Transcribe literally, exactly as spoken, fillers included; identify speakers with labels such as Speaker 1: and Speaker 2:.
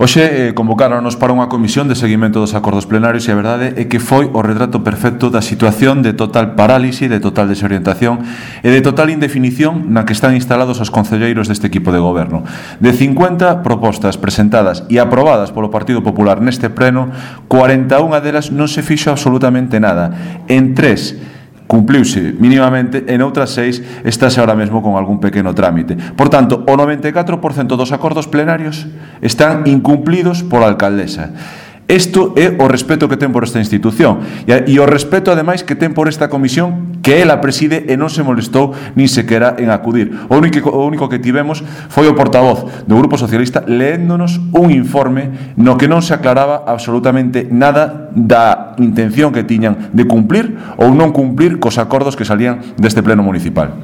Speaker 1: Hoxe eh, convocáronos para unha comisión de seguimento dos acordos plenarios e a verdade é que foi o retrato perfecto da situación de total parálise, de total desorientación e de total indefinición na que están instalados os concelleiros deste equipo de goberno. De cincuenta propostas presentadas e aprobadas polo Partido Popular neste pleno, cuarenta e unha delas non se fixo absolutamente nada. En tres cumpliuse mínimamente, en outras seis estáse ahora mesmo con algún pequeno trámite. Por tanto, o noventa e catro por cento dos acordos plenarios están incumplidos pola alcaldesa. Isto é o respeto que ten por esta institución e o respeto, ademais, que ten por esta comisión que ela preside e non se molestou nin sequera en acudir. O único, o único que tivemos foi o portavoz do Grupo Socialista leéndonos un informe no que non se aclaraba absolutamente nada da intención que tiñan de cumplir ou non cumplir cos acordos que salían deste pleno municipal.